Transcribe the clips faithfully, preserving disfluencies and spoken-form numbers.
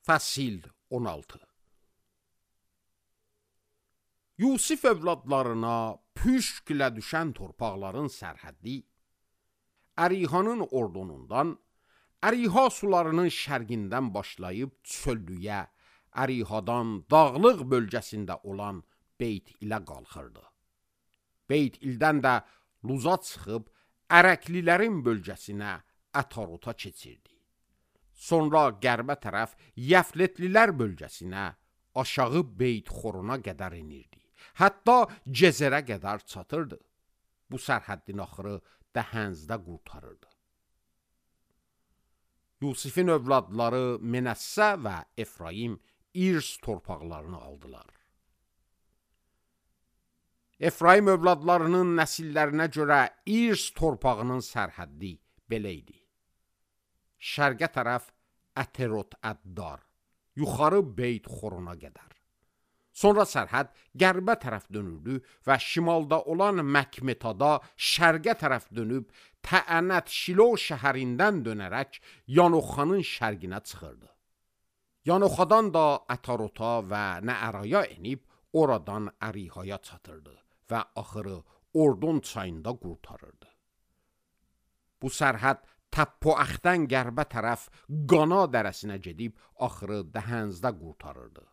Fəsil on altı. Yusif övladlarına püşklə düşən torpaqların sərhəddi, Ərihanın ordunundan, Əriha sularının şərqindən başlayıb çöllüyə, Ərihadan dağlıq bölgəsində olan Beyt ilə qalxırdı. Beyt ildən də Luza çıxıb, Ərəklilərin bölgəsinə Ətarota keçirdi. Sonra qərbə tərəf Yəfletlilər bölgəsinə, aşağı Beyt Xorona qədər inirdi. Hətta Cezərə qədər çatırdı. Bu sərhəddin axırı Dəhənzdə qurtarırdı. Yusifin övladları Menəssə və Efraim İrs torpaqlarını aldılar. Efraim övladlarının nəsillərinə görə İrs torpağının sərhəddi belə idi. Şərqə tərəf Əterot Əddar, yuxarı Beyt Xorona qədər. Sonra sərhəd qərbə tərəf dönürdü və şimalda olan Məkmetada şərqə tərəf dönüb Təənət Şilo şəhərindən dönərək Yanoxanın şərqinə çıxırdı. Yanoxadan da Ətarota və Nəəraya enib oradan Ərihaya çatırdı və axırı Ordon çayında qurtarırdı. Bu sərhəd Təppoəxdən qərbə tərəf Qana dərəsinə gedib axırı Dəhənzdə qurtarırdı.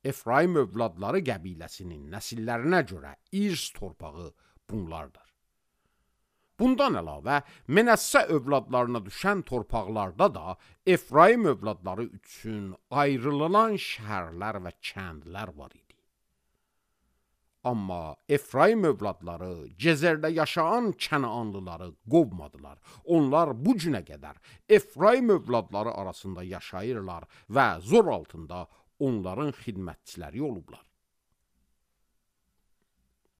Efraim övladları qəbiləsinin nəsillərinə görə İrs torpağı bunlardır. Bundan əlavə, Menəssə övladlarına düşən torpaqlarda da Efraim övladları üçün ayrılılan şəhərlər və kəndlər var idi. Amma Efraim övladları Cezərdə yaşayan Kənaanlıları qovmadılar. Onlar bu günə qədər Efraim övladları arasında yaşayırlar və zor altında onların xidmətçiləri olublar.